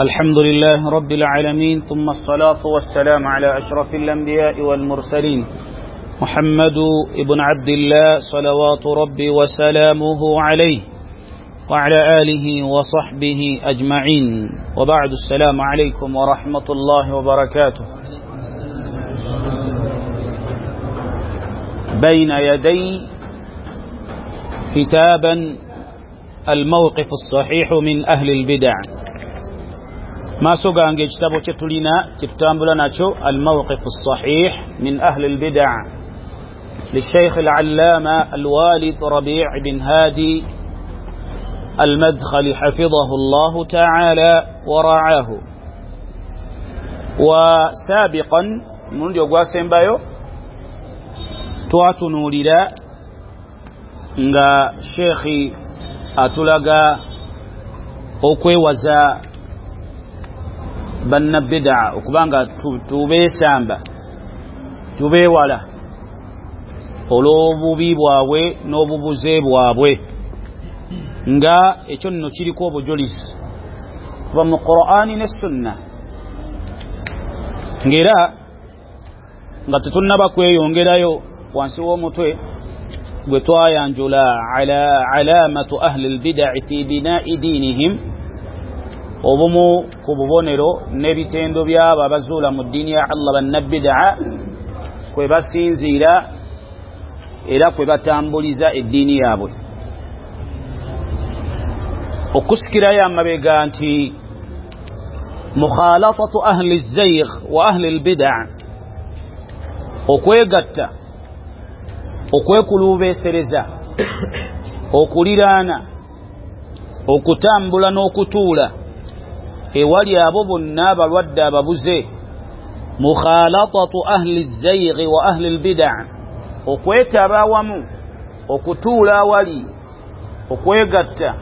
الحمد لله رب العالمين، ثم الصلاة والسلام على أشرف الأنبياء والمرسلين محمد بن عبد الله صلوات ربي وسلامه عليه وعلى آله وصحبه أجمعين، وبعد. السلام عليكم ورحمة الله وبركاته. بين يدي كتابا الموقف الصحيح من أهل البدع. ما سوغانge ekitabo kye tulina kyetutambula nakyo الموقف الصحيح من أهل البدع للشيخ العلامة الوالد ربيع بن هادي المدخل حفظه الله تعالى ورعاه. وسابقا mulundi ogwasembayo twatunuulira nga Sheikh atulaga okwewaza bannabbidaa okubanga tubeesamba tubeewala olw'obubi bwabwe n'obubuze bwabwe, nga ekyo nno kiriko obujulizi kuva mu Qur'ani ne Sunna. Ng'era nga tetunnaba kweyongerayo wansi w'omutwe gwe twayanjula ala alamatu ahli lbidai fi binai dinihim, obumu ku bubonero n'ebitendo by'abo abazuula mu ddiini ya Allah bannabidaa kwe basinziira era kwe batambuliza eddiini yaabwe. Okusikirayo amabega nti mukhalatatu ahli zayg wa ahli lbidaa, okwegatta, okwekulubeesereza, okuliraana, okutambula n'okutuula ewali abo bonna abalwadde ababuze. Mukhalatatu ahli zayg wa ahli lbidaa, okwetaba awamu, okutuula awali, okwegatta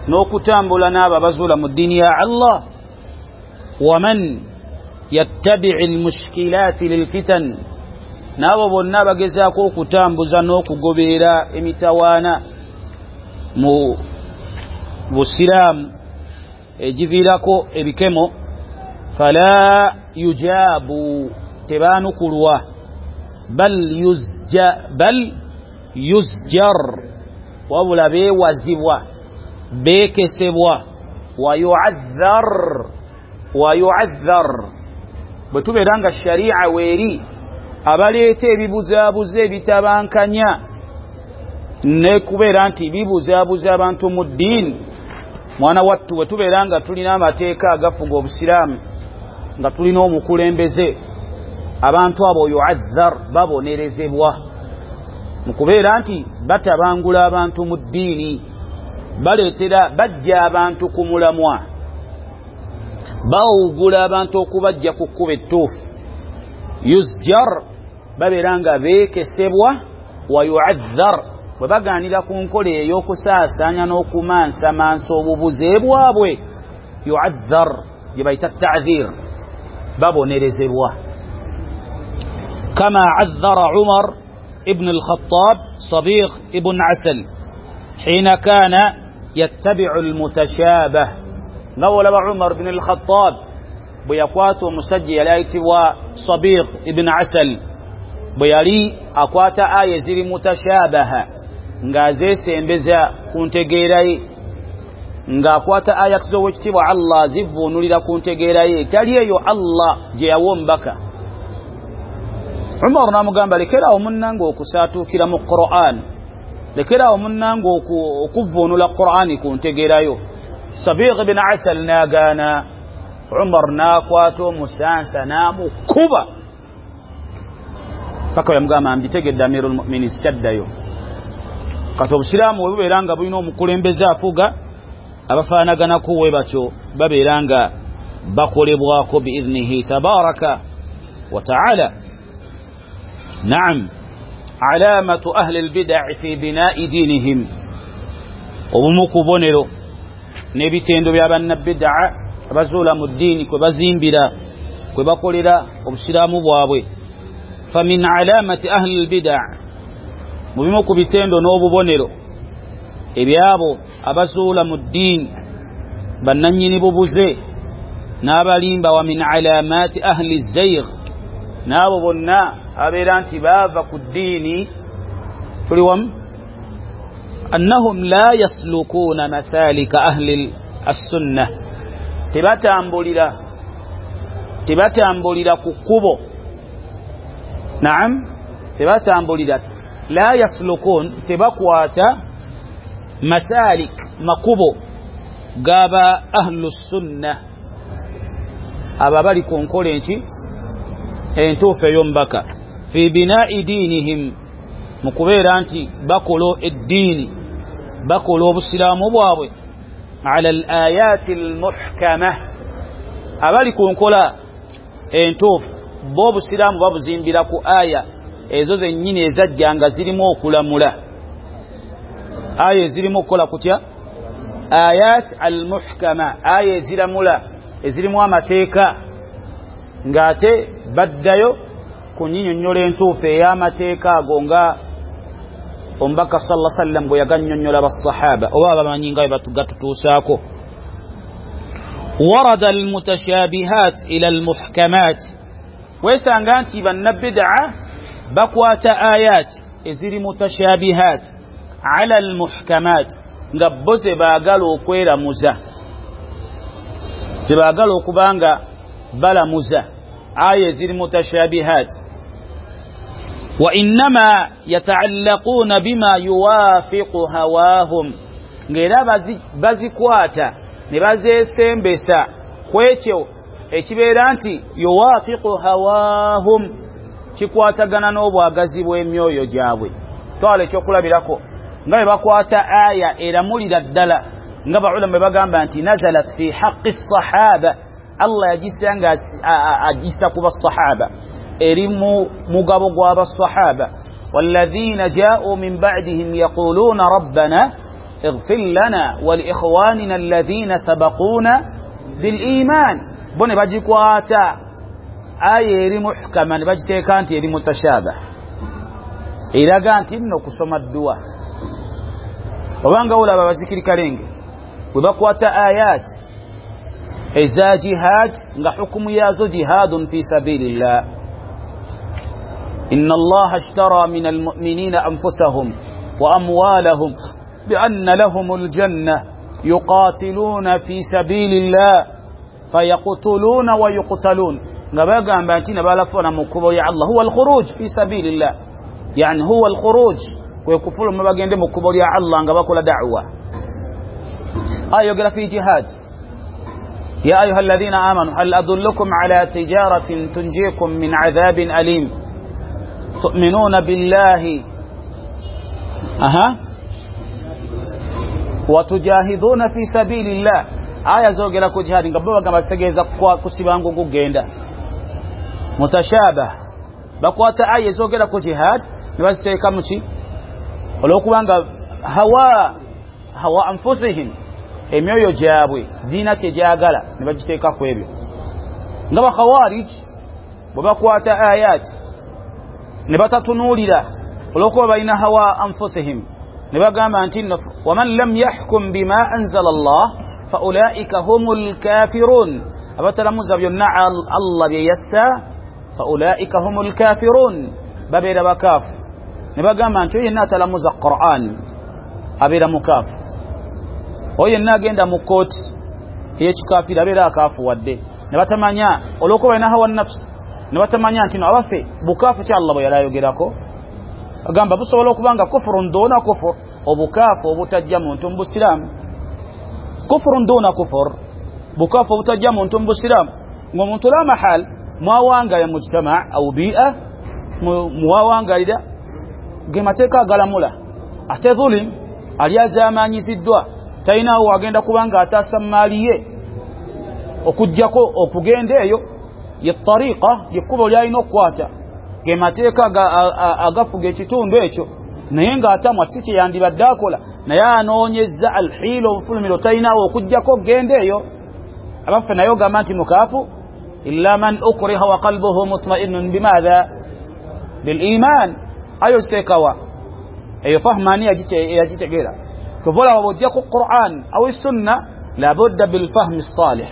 n'okutambula n'abo abazuula mu ddiini ya Allah. Waman yattabi'i almushkilaati lilfitan, n'abo bonna abagezaako okutambuza n'okugoberera emitawaana mu busiraamu egiviirako ebikemo, fala yujabu, tebaanukulwa, bal yuzjar, wabula beewazibwa, beekesebwa, wa yu'adhar. Bwe tubeera nga sharia weeri abaleeta ebibuzaabuza ebitabankanya ne kubeera nti bibuzaabuza abantu mu ddiini, mwana wattu bwe tubeera nga tulina amateeka agafuga obusiraamu, nga tulina omukulembeze, abantu abo yu'adhar, babonerezebwa mu kubeera nti batabangula abantu mu ddiini, baleetera bajja abantu ku mulamwa, bawugula abantu okubajja ku kkubo ettuufu. Yuzjar, babeera nga beekesebwa, wa yu'adhar, bwe bagaanira ku nkola ey'okusaasaanya n'okumansamansa obubuze bwabwe, yu'adhar gye bayita ta'dhir, babonerezebwa. Kama adhara Umar ibn al-Khattab Sabiq ibn Asal hina kana yattabi'u al-mutashabah. Nga olaba Umar ibn al-Khattab bwe yakwata omusajja yali ayitibwa Sabiq ibn Asal, bwe yali akwata aya eziri mutashabaha ng'azeesembeza ku ntegeera ye, ng'akwata aya z'owekitiibwa Allah zivuunulira ku ntegeera ye etali eyo Allah gye yawa omubaka. Umar n'amugamba, lekerawo munnange okusaatuukira mu Qur'an, lekerawo munnange okuvuunula Qur'ani ku ntegeerayo. Sabiq ibn Asal n'agaana. Umar n'akwata omusansa n'amukuba paka yamugamba, mbitegedde Amirul Mu'minin, sikyaddayo. Kati obusiraamu bwe bubeera nga bulina omukulembeze afuga, abafaanaganaku we batyo babeera nga bakolebwako biidhnihi tabaraka wa taala. Naam, alamatu ahli lbidai fi binai dinihim, obumu ku bubonero n'ebitendo bya bannabidaa abazuula mu ddiini kwe bazimbira, kwe bakolera obusiraamu bwabwe. Famin alamati ahli lbidaa, mu bimu ku bitendo n'obubonero ebyabo abazuula mu ddiini bannannyini bubuze, N'abalimba wa min alamati ahli zayg, n'abo bonna abeera nti baava ku ddiini. Tuli wamu? Annahum la yaslukuuna masalika ahli assunna, tebatambulira ku kkubo. Naam, tebatambulira, la yaslukun, tebakwata masalik, makubo gaba ahlu sunna, aba bali ku nkola enki entuufu ey'omubaka. Fi binai diinihim, mu kubeera nti bakola eddiini, bakola obusiraamu bwabwe ala al ayati al muhkama, abali ku nkola entuufu bo obusiraamu babuzimbira ku aya ezo zennyini ezajja nga zirimu okulamula. Aya ezirimu okukola kutya? Ayat al muhkama, aya eziramula ezirimu amateeka, ng'ate baddayo ku nnyinnyonnyola entuufu ey'amateeka ago nga omubaka sallallahu alaihi wasallam bwe yagannyonnyola basahaba oba abamanyi nga bwe gatutuusaako. Warada almutashabihat ila almuhkamat, weesanga nti bannabidaa bakwata ayat eziri mutashabihat ala almuhkamat, nga bo ze baagala okweramuza, ze baagala okuba nga balamuza aya eziri mutashabihat. Wa innama yataallaquna bima yuwafiqu hawahum, ng'era bazikwata ne bazeesembesa ku ekyo ekibeera nti yuwafiqu hawahum, kikwatagana n'obwagazi bw'emyoyo gyabwe. Twala ekyokulabirako nga bwe bakwata aya eramulira ddala nga baulama bwe bagamba nti nazalat fi haqqi sahaba, Allah yagisa nga agisa ku basahaba, eri mu mugabo gw'abasahaba. Walladhina ja'u min ba'dihim yaquluna rabbana ighfir lana wa liikhwanina alladhina sabaquna bil iman, bo ne bagikwata aya eri muhkama ne bagiteeka nti eri mutashabah, eraga nti nno kusoma dduwa. Obanga olaba abazikiri kalenge bwe bakwata ayat eza jihad nga hukumu yazo jihadun fi sabilillah, inna allaha ashtara min almu'minina anfusahum wa amwalahum bianna lahum aljanna yuqatiluna fi sabilillah fayaqtuluna wa yuqtalun, nga bagamba nti nabalafuna mu kkubo lya Allah, huwa alkhuruj fi sabilillah, yani huwa alkhuruj, kwe kufuluma bagende mu kkubo lya Allah nga bakola da'wa. Ayogera fi jihad, ya ayuha alladhina amanu hal adullukum ala tijaratin tunjikum min adhabin alim tu'minuna billahi aha wa tujahiduna fi sabilillah. Aya zogera ku jihad nga bo bagamba zitegeeza kusiba ngugenda mutashabah, bakwata aya zogera ku jihad ne baziteeka mu ki olwokubanga hawa anfusihim, emyoyo gyabwe diina kyegyagala ne bagiteeka ku ebyo. Nga bakhawarij bwe bakwata ayat ne batatunuulira olw'okuba balina hawa anfusihim, ne bagamba nti waman lam yahkum bima anzala Allah fa ulaika humul kafirun, abatalamuza byonna Allah bye yassa fa ulaika humul kafirun, babeera bakaafu. Ne bagamba nti oyo yenna atalamuza Qur'an abeera mukaafu, oyo yenna agenda mu kkooti ey'ekikafiiri abeera akaafuwadde. Ne batamanya olw'okuba balina hawa nafsi, ne batamanya nti no abaffe bukaafu ki Allah bwe yali ayogerako, agamba busobola okuba nga kufurun duna kufur, obukaafu obutajja muntu mu busiraamu, kufurun duna kufur, bukaafu obutajja muntu mu busiraamu, ng'omuntu la mahal mwawangalira mujtama au bi'a mwawangalira ge mateeka agalamula, ate dhulim ali azaamanyiziddwa talinawo agenda kubanga ataasa maali ye okuggyako okugenda eyo ye tariqa, yekkubo lyalina okukwata, ge mateeka agafuga ekitundu ekyo, naye ng'atamwa si kye yandibadde akola, naye anoonyezza alhiila obufulumiro talinawo okuggyako okugenda eyo. Abaffe naye ogamba nti mukaafu, illa man ukriha wa qalbuhu mutma'innun bimadha bil iman, ayo ziteekawa eyo fahmani yagitegeera. Kyova olaba bw'ojja ku Qur'an au sunna labudda bilfahmi salih,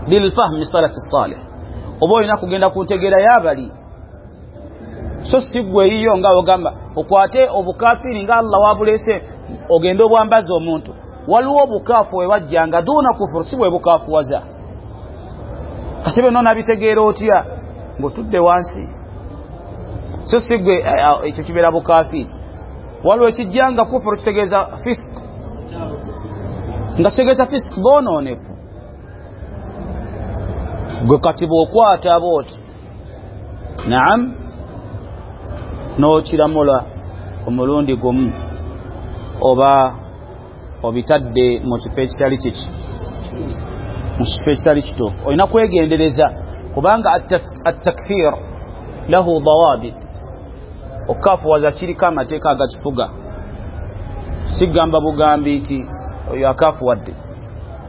Bilfahmi salafi salih, oba olina kugenda ku ntegeera y'abali, so si ggwe eyiyo nga ogamba okwate obukafiiri nga Allah wabuleese ogende obwambaza omuntu. Waliwo obukaafu we wajjanga duuna kufuru, si bwe bukaafuwaza. Kati byonna onabitegeera otya ng'otudde wansi? So si ggwe ekyo kibeera bukafiiri. Waliwo ekijjanga kufuru kitegeeza fisk, nga kitegeeza fisk boonoonefu. Gwe kati bw'okwata bw'oti, naam, n'okiramula omulundi gumu oba obitadde mu kifo ekitali kiki, mu kifo ekitali kituufu. Olina kwegendereza kubanga attakfir lahu dawabit, okukafuwaza kiriko amateeka agakifuga. Sigamba bugambi nti oyo akafuwadde.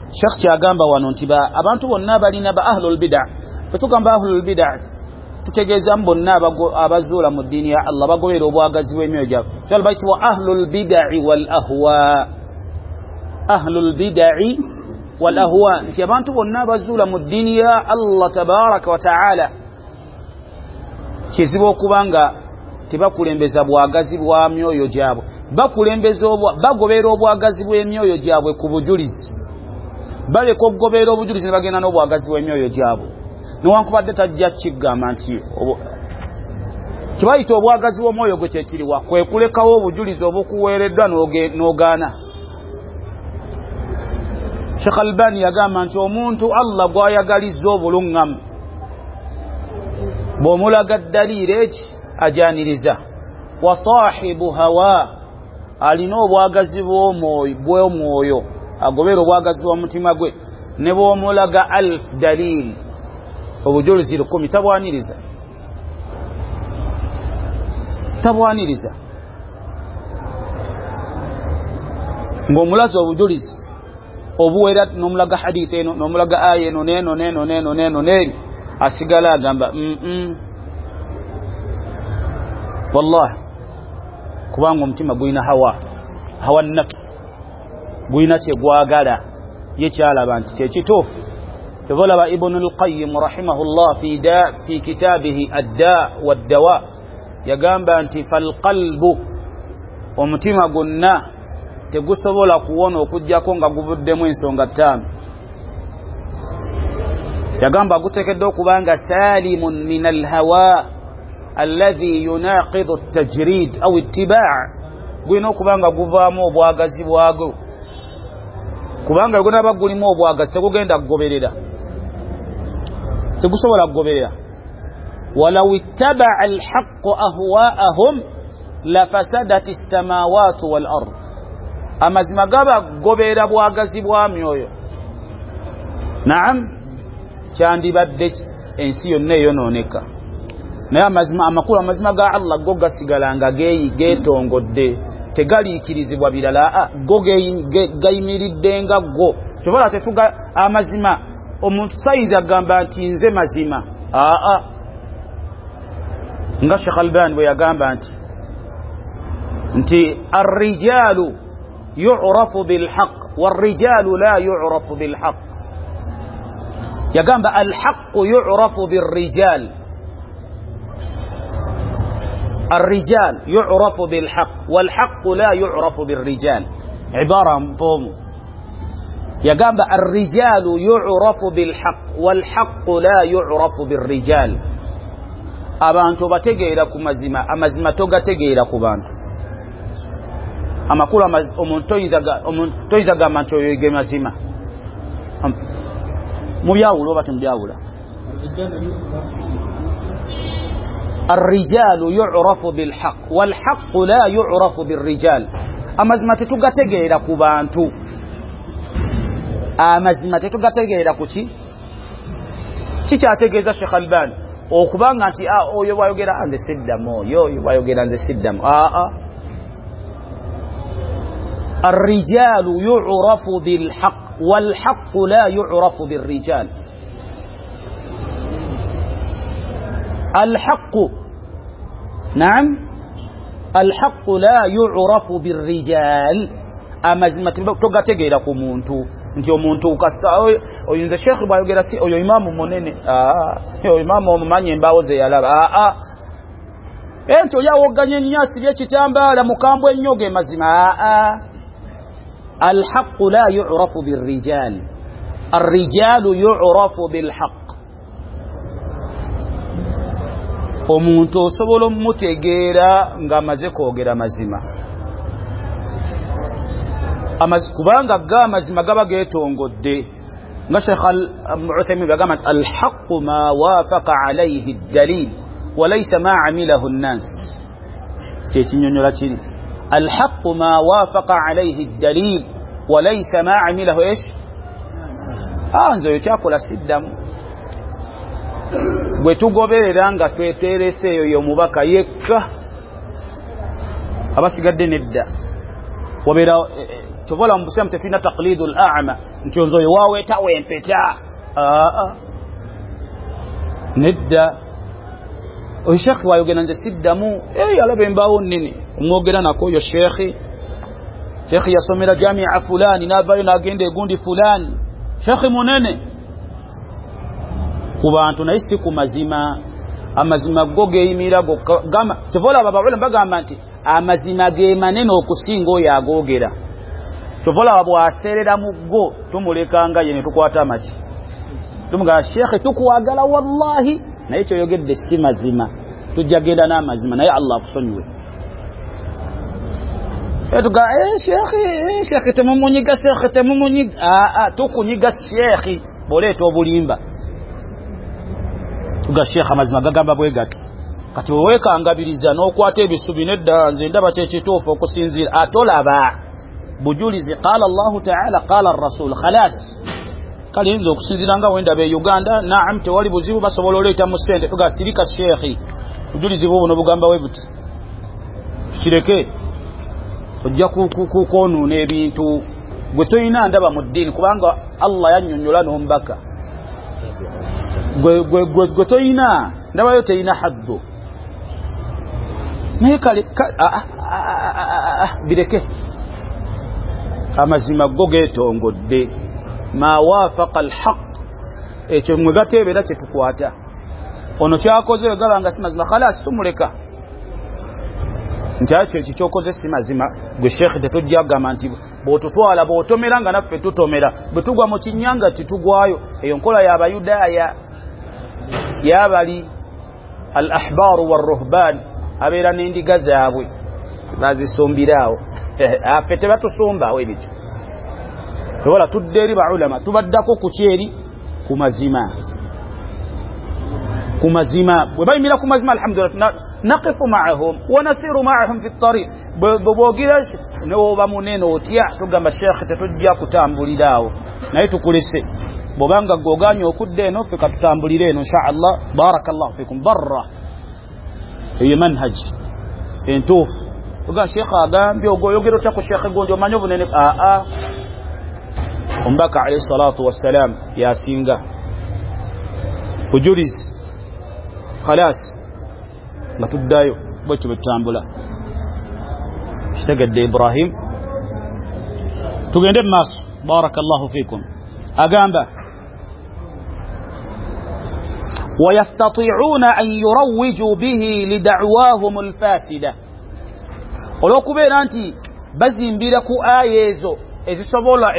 Sheikh kyagamba wano nti abantu bonna balina ba ahlul bid'a. Bwe tugamba ahlul bid'a tutegeeza bonna abazuula mu ddiini ya Allah, bagoberera obwagazi bw'emyoyo gyabwe. Kyalo bayitibwa ahlul bid'i wal ahwa, ahlul bid'i wal ahwa, nti abantu bonna abazuula mu ddiini ya Allah tabaraka wa taala kizibu okuba nga tebakulembeza bwagazi bwa myoyo gyabwe, bakulembeza bagoberera obwagazi bw'emyoyo gyabwe ku bujulizi, baleka okugoberera obujulizi ne bagenda n'obwagazi bw'emyoyo gyabwe. Newankubadde tajja kigamba nti kibayita obwagazi bw'omwoyo gwe kyekiriwa, kwe kulekawo obujulizi obukuweereddwa n'ogaana. Sheikh Albani yagamba nti omuntu Allah gw'ayagalizza obuluŋŋamu bw'omulaga ddaliiri eki ajaniriza, wa sahibu hawa, alina obwagazi bw'omwoyo, agobera obwagazi bw'omutima gwe, ne bw'omulaga alf dalil, obujulizi 10,000 tabwaniriza, tabwaniriza. Ng'omulaza obujulizi obuwera n'omulaga hadithi eno n'omulaga aya eno neno neno neno neno neno, asigala agamba wallahi, kubanga omutima gulina hawa, hawa nafsi, gulina kyegwagala ye kyalaba nti kyekituufu. Kyova Ibn al-Qayyim rahimahullah fi kitabihi ad-da wad-dawa yagamba nti falqalbu, omutima gwonna tegusobola kuwona okuggyako nga guvuddemu ensonga 5. Yagamba guteekeddwa okuba nga salimun min al-hawa alladhi yunaqidu at-tajrid aw ittiba', gulina okuba nga guvaamu obwagazi bwagwo, kubanga gunaaba gulimu obwagazi tegugenda kugoberera, tegusobola kugoberera. Walaw ittaba'a al-haqqu ahwa'ahum lafasadat as-samawati wal ard, amazima gaba kugoberera bwagazi bwa myoyo, naam, kyandibadde ensi yonna eyonooneka. Naye amazima amakulu, amazima ga Allah go gasigala nga geetongodde, tegaliikirizibwa birala, go gayimiridde nga go. Kyobola tetuga amazima, omuntu sayinza agamba nti nze mazima, aa, nga Sheikh Albani bwe yagamba nti arrijalu yu'rafu bilhaq warrijalu la yu'rafu bilhaq. Yagamba alhaqqu yu'rafu birrijal, الرجال يعرف بالحق والحق لا يعرف بالرجال. عبارة مفهومة. يقام الرجال يعرف بالحق والحق لا يعرف بالرجال. Abantu bategeera ku mazima, amazima togategeera ku bantu. Amakulu omuntu toyinza gamba nti oyo ge mazima. Mubyawula oba temubyawula? الرجال يعرف بالحق والحق لا يعرف بالرجال. Amazima tetugategeera ku bantu, amazima tetugategeera ku ki? Kikyategeeza Sheikh Albani okubanga nti oyo bwayogera nze siddamu, oyo bwayogera nze siddamu. الرجال يعرف بالحق والحق لا يعرف بالرجال. الحق، نعم، الحق لا يعرف بالرجال. Amazima togategeera ku muntu. Nti omuntu kasa oyinza Sheikh bwayogera si oyo imamu munene, oyo imamu omumanyi embaawo ze yalaba, enti oyo awoganye ennyo asibye ekitambaala mukambwe ennyo ge mazima. Alhaqu la yurafu birrijal, arrijalu yurafu bilhaq. Omuntu osobola omutegeera ng'amaze kwogera mazima, kubanga ga amazima gaba geetongodde. Nga Sheikh Uthaymin bagamba nti alhaqu ma wafaqa alayhi ddalil walaysa ma amilahu nnas. Kyekinyonyola kiri alhaqu ma wafaqa alayhi ddalil walaysa ma amilahu ish. Nze oyo kyakola siddamu. Bwe tugoberera nga tweterese eyo y'omubaka yekka, abasigadde nedda. Wabeera tovola mu busiramu tetulina taqlidul a'ma nti nze oyo waweeta wempeta, nedda. Oyo Sheikh wayogera nze siddamu, alaba embaawo nnene omwogera nako oyo Sheikh. Sheikh yasomera jamia fulani n'avaayo n'agenda egundi fulani, Sheikh munene ku bantu, naye si ku mazima. Amazima go geeyimira gokka. Kyova olaba abaulama bagamba nti amazima ge manene okusinga oyo agoogera. Kyova olaba bw'aseerera mu go tumulekanga ye ne tukwata amaki, tumugamba Sheikh tukwagala wallahi, naye kyoyogedde si mazima, tujja genda n'amazima, naye Allah akusonyiwe. Tuga Sheikh temumunyiga, Sheikh temumunyiga, tukunyiga Sheikh bw'oleeta obulimba. Tuga Sheikh amazima gagamba bwe gati. Kati weekangabiriza n'okwata ebisubi, nedda nze ndaba kyekituufu okusinziira. Atolaba bujulizi, qala Allahu ta'ala qala ar-rasul, khalas. Kale nze okusinziira nga wendaba e Uganda, naam tewali buzibu, basobola oleeta mu ssente. Tuga sirika Sheikh, bujulizi bwo buno bugamba we buti, tukireke, ojja kwonoona ebintu. Gwe toyina ndaba mu ddiini, kubanga Allah yannyonnyola n'omubaka. Gwe toyina ndabayo, teyina haddu. Naye kale bireke, amazima go geetongodde. Ma wafaqa alhaq, ekyo mwe gateebeera kyetukwata. Ono kyakoze wegaba nga si mazima, khalas tumuleka nti ekyo ekikyokoze si mazima. Gwe Sheikh tetujja kugamba nti bw'otutwala bw'otomera nga naffe tutomera, bwe tugwa mu kinnya nga titugwayo. Eyo nkola y'Abayudaaya y'abali al ahbaaru warruhban, abeera n'endiga zaabwe bazisumbiraawo. Affe tebatusumbawo ebityo. Tobola tudde eri baulama, tubaddako ku kyeri ku mazima, ku mazima. Bwe bayimira ku mazima, alhamdulillah, naqifu ma'ahum wa nasiru ma'ahum fi ttariq. Bw'ogira n'oba munene otya, tugamba Sheikh tetujja kutambuliraawo, naye tukulese. Bw'obanga gw'ogaanye okudda eno, ffe katutambulire eno insha Allah. Barakallahu fikum. Barra eyo manhaj entuufu. Tugamba Sheikh agambye ogoyogera otya ku Sheikh gundi, omanyi obunene? Omubaka alayhi salatu wassalam yasinga bujulizi, khalas nga tuddayo bwekyo bwe tutambula. Kitegedde Ibrahim? Tugende mu maaso. Barakallahu fikum. Agamba wayastati'una an yurawwiju bihi lida'wahum alfasida, olw'okubeera nti bazimbira ku aya ezo ezisobola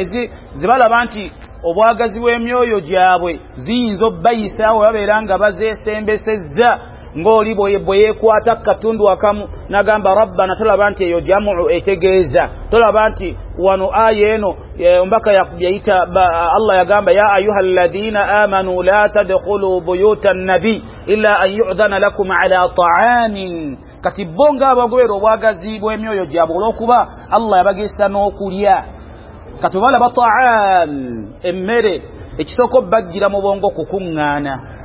zibalaba nti obwagazi bw'emyoyo gyabwe ziyinza obbayisaawo, babeera nga bazeesembesezza. Ng'oli bwe yeekwata katundu akamu n'agamba rabbana, tolaba nti eyo jamu etegeeza, tolaba nti wano aya eno omubaka yayita Allah yagamba ya ayuha alladhina amanu la tadkhulu buyuta nabi illa an yu'dhana lakum ala ta'amin. Kati bo ng'abagobera obwagazi bw'emyoyo gyabwe olw'okuba Allah yabagesa n'okulya. Kati balaba ta'am, emmere, ekisooka obbajjira mu bwongo kukuŋŋaana.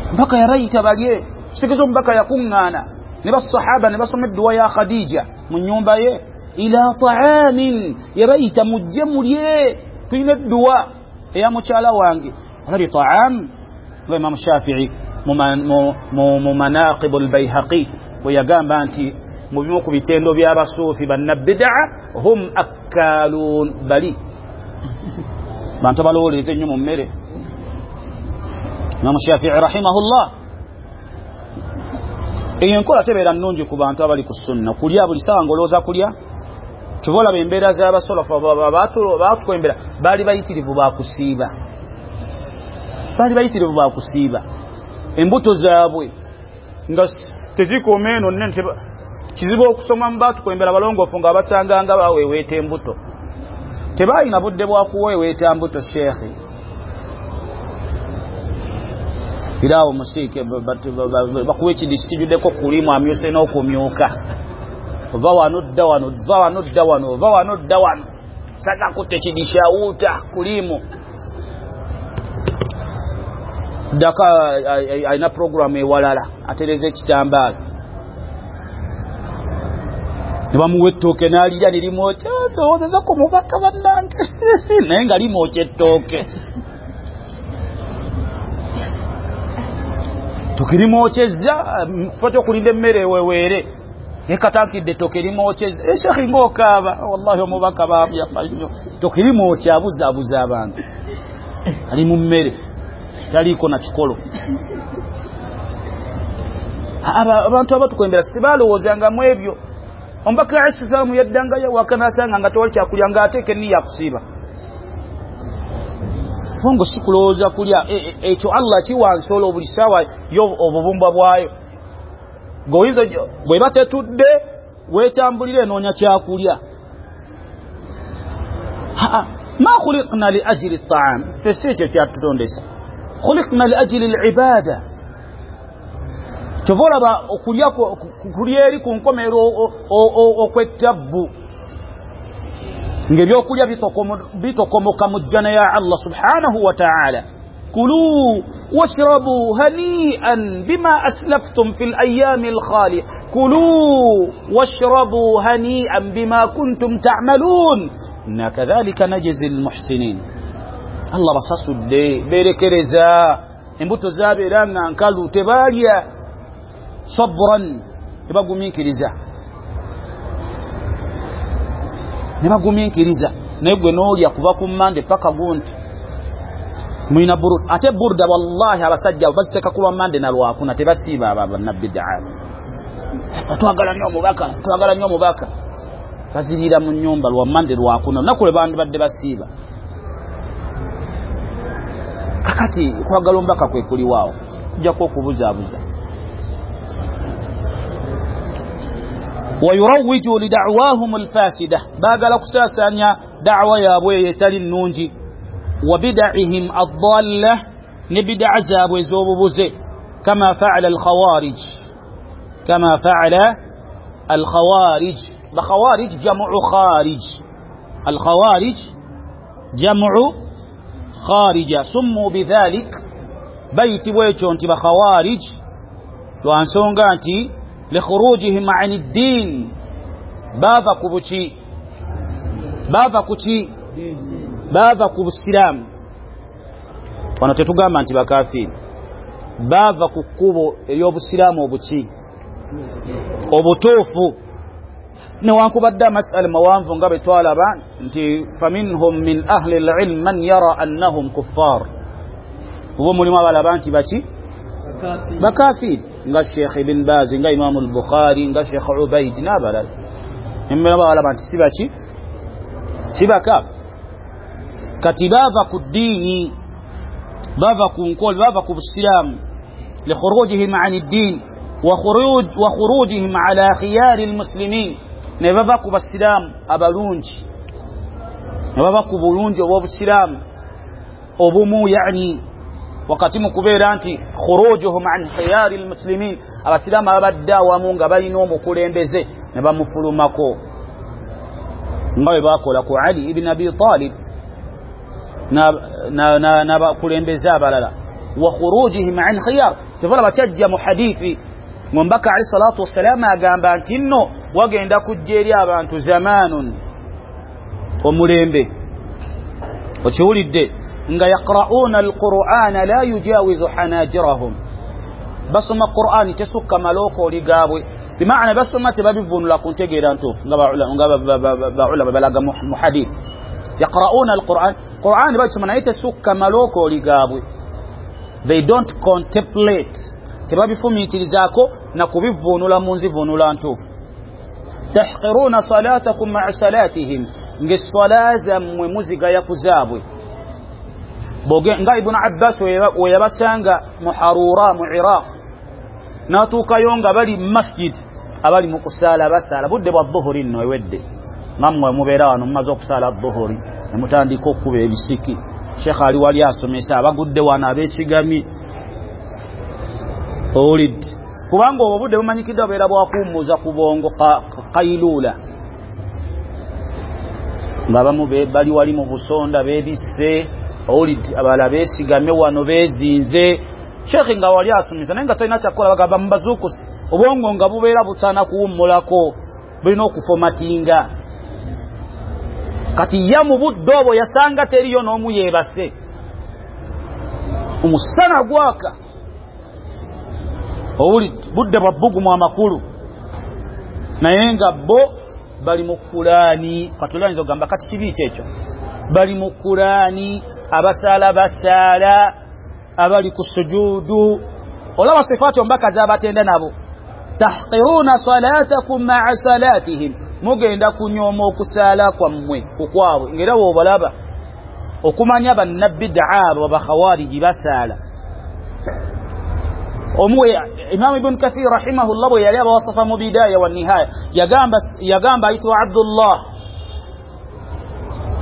Omubaka yabayita balye, kitegeeza omubaka yakuŋŋaana ne basahaba ne basoma edduwa ya Khadija mu nnyumba ye, ila ta'amin, yabayita mujje mulye, tulina edduwa eya mukyala wange. Olabye ta'am nga Imamu Shafi'i mu manaqibu al-Bayhaqi bwe yagamba nti Mu bimu ku bitendo by'abasuufi bannabidaa, hum akkalun, bali bantu abalowooleza ennyo mu mmere. Imamu Shafii rahimahullah, eyo enkola tebeera nnungi ku bantu abali ku sunna, kulya buli saawa ng'olowooza kulya. Kyova olaba embeera z'abasalafu baatukwembera, baali bayitirivu bakusiiba, baali bayitirivu bakusiiba. Embuto zaabwe nga tezikuuma eno nnene, kizibu okusoma mu baatukwembera balongoofu nga basanganga baweeweeta embuto. Tebalina budde bwa kuweeweeta mbuto. Sheekhe piraawo musiike bakuwa ekidisi kijuddeko kulimu amyuse n'okumyuka, ova wano dda wano, va wano dda wano, ova wano dda wano, saga kutta ekidisi awuuta kulimu ddaka alina programu ewalala atereza ekitambaala ne bamuwa ettooke n'alirya ne limwokya, ndowoozeza ku mubaka bannange naye nga limwokya ettooke tukirimwokyezza kifo ky'okulinda emmere eweweere ekatankidde ettooke limwokyezza. Eshekhi ng'okaaba, wallahi omubaka yafa nnyo, ettooke limwokya, abuzaabuza abantu, ali mu mmere taliiko na kikolo. Abantu abatukwembera sibalowoozangamu ebyo. Omubaka alayhi salaamu yaddangayo waka n'asanga nga tewali kyakulya, ng'ateeka enniya akusiiba. Bongo si kulowooza kulya, ekyo Allah kiwa nsolo buli ssaawa yo obubumbwa bwayo. Gweoyinza bweba tetudde weetambulira enoonya kyakulya. Ma khuliqna li ajili taam, ffe si ekyo kyatutondesa, khuliqna li ajili libada. Kyova olaba okulya kulya eri ku nkomero okwettabbu, ng'ebyokulya bitokomoka mu jjana ya Allah subhanahu wa ta'ala. Kulu washrabu hani'an bima aslaftum fil ayyami al-khaliya, kulu washrabu hani'an bima kuntum ta'malun inna kadhalika najzi al-muhsinin. Allah basasudde berekereza, embuto zabeera nga nkalu, tebalya sabran, tebagumiikiriza, nebagumiikiriza. Naye gwe n'olya kuva ku Mmande paka gunti mulina burda. Ate burda wallahi abasajja baziteeka ku lwa Mmande na Lwakuna, tebasiiba abo bannabidaa. Twagala nnyo omubaka, twagala nnyo omubaka, baziriira mu nnyumba lwa Mmande Lwakuna, olunaku lwe bandibadde basiiba. Kakati kwagala omubaka kwe kuliwaawo, kujjako okubuzaabuza. Wayurawiju lidawahum alfasida, baagala kusaasaanya da'wa yaabwe eyo etali nnungi. Wa bida'ihim addalla, ne bidaa zaabwe ez'obubuze. Kama fa'ala alkhawarij, kama fa'ala alkhawarij. Bakhawarij jamu kharij, alkhawarij jamu kharija, summu bidhalik, bayitibwa ekyo nti bakhawarij lwa nsonga nti likhurujihim ani ddin, baava ku buki, baava ku ki, baava ku busiraamu. Wano tetugamba nti bakafiiri, baava ku kkubo ery'obusiraamu obuki obutuufu. Newankubadde amasala mawanvu nga bwe twalaba nti faminhum min ahli lilm man yara annahum kuffar, oba mulimu abalaba nti baki bakafiiri, nga Sheikh Ibn Baz, nga Imamu al-Bukhari, nga Sheikh Ubaid n'abalala. Nemera balaba nti si baki, si bakafi. Kati baava ku ddiini, baava ku nkola, baava ku busiraamu. Likhurujihim ani ddin wa khurujihim ala khiyari almuslimin, ne bava ku basiraamu abalungi, ne bava ku bulungi obw'obusiraamu obumu, yani wakati mu kubeera nti khurujuhum an khiyari almuslimin, abasiraamu ababadde awamu nga balina omukulembeze ne bamufulumako, nga bwe bakola ku Ali ibn Abi Talib n'abakulembeze abalala. Wa khurujihim an khiyar, tevala bakyajja mu hadithi Omubaka alayhi salatu wassalam agamba nti nno wagenda kujja eri abantu zamanun, omulembe okiwulidde, nga yaqra'una alqur'ana la yujawizu hanajirahum, basoma Qur'ani tesukka malookooli gaabwe. Bimaana basoma tebabivunula ku ntegeera ntuufu nga baulama balaga mu hadith. Yaqra'una al-Qur'an, Qur'an bakisoma naye tesukka malokooli gaabwe. They don't contemplate, tebabifumiitirizaako na kubivunula mu nzivunula ntuufu. Tahqiruna salatakum ma'a salatihim, ng'esswala zammwe muzigaya ku zaabwe. Nga Ibn Abbas we yabasanga mu Harura mu Iraq, n'atuukayo nga bali mu masjid abali mu kusaala basaala budde bwa dhuhuri nno ewedde, nammwe mubeera wano mumaze okusaala dhuhuri ne mutandika okukuba ebisiki. Sheikh ali wali asomesa abagudde wano abeesigamye owulidde, kubanga obwo budde bumanyikiddwa bubeera bwakuwummuza ku bwongo kailula, ng'abamu bali wali mu busonda beebisse owulidde, abalala beesigamye wano beezinze. Sheikh nga wali asomesa naye nga talina kyakukola, bagamba mubazuukuse, obwongo nga bubeera butaana kuwummulako, bulina okufomatinga. Kati ya mu budde obwo yasanga teriyo n'omu yeebase, omusana gwaka owulidde, budde bwa bbugumu amakulu, naye nga bo bali mu Kulaani. Kati oyinza okugamba kati kibi ki ekyo? Bali mu Kulaani, abasaala basaala, abali ku sujuudu. Olaba sifaati omubaka z'abatenda nabo, tahqiruna salatakum ma'a salatihim, mugenda kunyooma okusaala kwammwe kukwabwe. Ng'era bw'obalaba okumanya bannabbidaa abo bakhawariji basaala. Omuwe Imam Ibn Kathir rahimahullah bwe yali abawasafa mu Bidaya wa Nihaya, yagamba ayitibwa Abdullah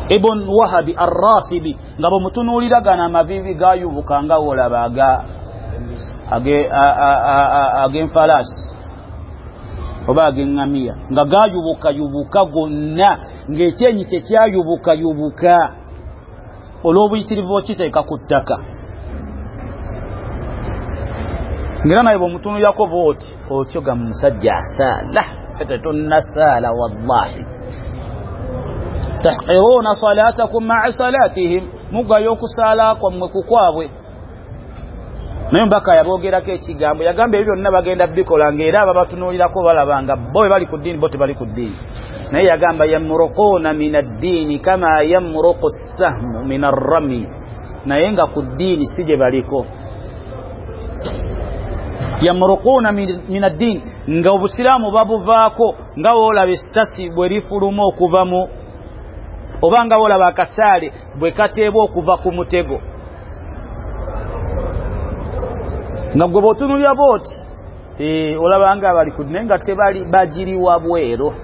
ibn Wahabi ar-Rasibi, nga bwemutunuulira gano amaviivi gayubuka nga wolaba ag'enfalaasi oba ag'eŋŋamiya, nga gayubukayubuka gonna, ng'ekyenyi kye kyayubukayubuka olw'obuyitirivu okiteeka ku ttaka. Ngera naye bw'omutunuulirako bw'oti otyo ga musajja asaala, ffe tetunnasaala wallahi. Tahqiruna salatakum ma'a salatihim, mugayo okusaala kwammwe kukwabwe. Naye omubaka yaboogerako ekigambo, yagamba ebyo byonna bagenda bikola, ng'era ababatunuulirako balaba nga bo bwe bali ku ddiini, bo tebali ku ddiini. Naye yagamba yamruquuna min addiini kama yamruqu sahmu min arrami, naye nga ku ddiini si gye baliko. Yamruquuna min addiini, nga obusiraamu babuvaako nga woolaba essasi bwe lifuluma okuva mu, oba nga woolaba akasaale bwe kateebwa okuva ku mutego. Nga gwe bw'otunuulira bw'oti olaba nga bali ku naye nga tebali, bagiri wabweru.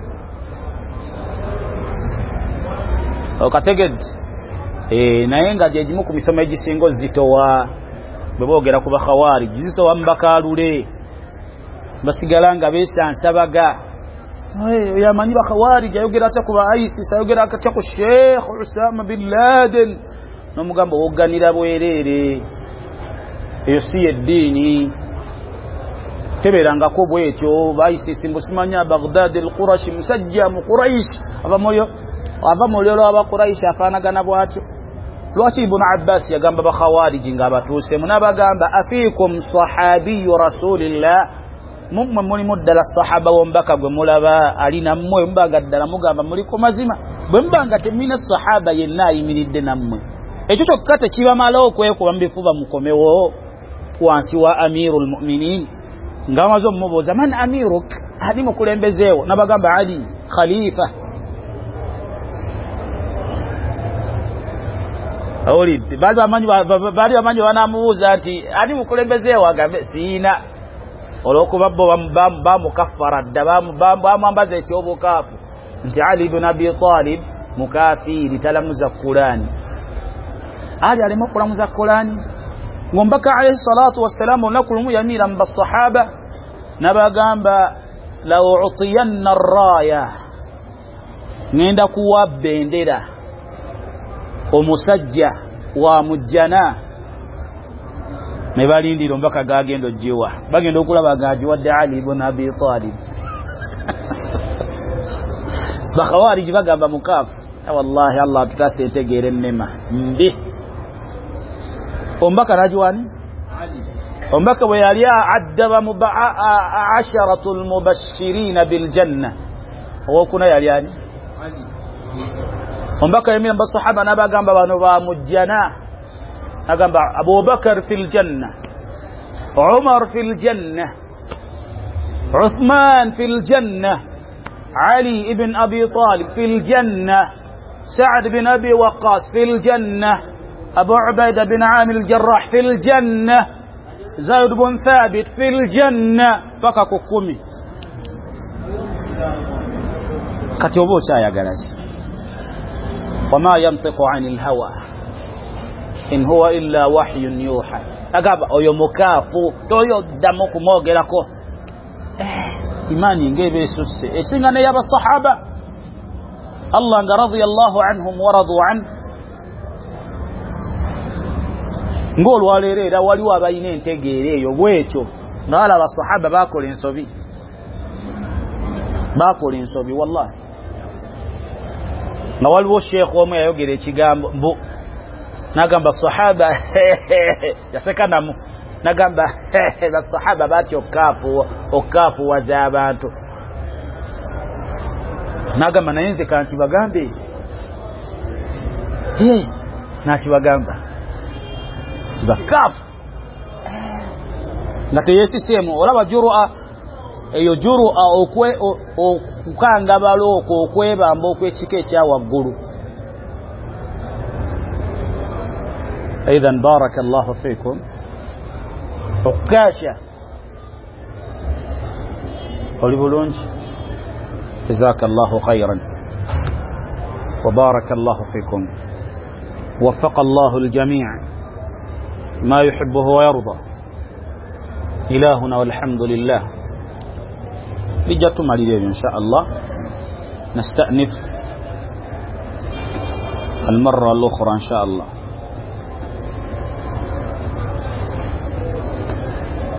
Okategedde? Naye nga gye gimu ku misomo egisinga ozitowa bwe boogera ku bakhawariji, zitowa mu bakaalule, basigala nga beesansabaga. Yamanyi bakhawariji ayogera atya ku ba ISIS, ayogera atya ku Sheikh Osama bin Laden, n'omugamba owogganira bwereere, eyo si yeddiini, tebeerangako bwetyo. Ba ISIS mbu simanya Baghdad al-Qurashi, musajja mu Quraish, ava mu lulyo lw'Abaquraishi afaanagana bw'atyo. Lwaki Ibn Abbas yagamba bakhawariji ng'abatuuseemu n'abagamba afiikum sahabiyu rasulillah, mummwe mulimu ddala sahaba w'omubaka gwe mulaba ali nammwe, mubanga ddala mugamba muli ku mazima, bwe mubanga temulina sahaba yenna ayimiridde nammwe, ekyo kyokka tekibamala okwekuba mu bifuba mukomewo wansi wa amirul mu'minin. Nga bamaze omumubuuza man amiruk, ani mukulembezeewo, n'abagamba Ali khalifa. Owulidde? Baali bamanyi banamubuuza nti ani mukulembezeewo, agambe siina, olw'okuba bo bamukaffara dda, bamwambaza ekyobukaafu nti Ali ibn Abi Talib mukafiiri, talamuza Kulaani. Ali aleme okulamuza Kulaani? Ng'omubaka alayhi salatu wassalaamu olunaku lumu yamiira mu basahaba n'abagamba la utiyanna rraaya, ŋŋenda kuwa bendera omusajja wa mujjana. Ne balindira omubaka gagenda ogiwa, bagenda okulaba gagiwadde Ali ibn Abi Talib. Bakhawariji bagamba mukaafu, wallahi Allah atutaase entegeera ennema mbi. Omubaka n'agiwani? Omubaka bwe yali addaba asharatu lmubashirina biljanna, owokuna yali ani? Omubaka yemira basahaba n'abagamba bano ba mujjana, agamba Abubakar fi ljanna, Umar fi ljanna, Uthman fi ljanna, Ali ibn Abi Talib fi ljanna, Saad bin Abi Waqas fi ljanna, Abu Ubaida bin Amir al-Jarrah fi ljanna, Zaid bin Thabit fi ljanna, paka ku 10. Kati oba okyayagala ki? Wama yantiqu ani lhawa in huwa illa wahyun yuha. Agamba oyo mukaafu, toyo ddamu kumwogerako. Imaani ng'eba esusse esinga n'eyabasahaba. Allah nga radiyallahu anhum wa radu anhu. Ng'olwaleero era waliwo abalina entegeera eyo bwekyo, nga wala abasahaba bakola ensobi, bakola ensobi wallahi. Nga waliwo sheekh omu yayogera ekigambo mbu nagamba sahaba yaseka namu, nagamba basahaba batya okukaafuwaza abantu. Nagamba naye nze kankibagambe, nakibagamba sibakaafu nga teyesiseemu. Olaba jurua eyo, jurua okukangabala okwo, okwebamba okw'ekika ekya waggulu. Idhan baraka llahu fikum. Okukasha oli bulungi, jazaka llahu khairan wa baraka llahu fikum, wafaqa llahu ljamii ma yuhibuhu wa yarda ilahuna walhamdulillah. Bijja tumalira ebyo insha Allah. Nastanif almarra alukhra insha Allah.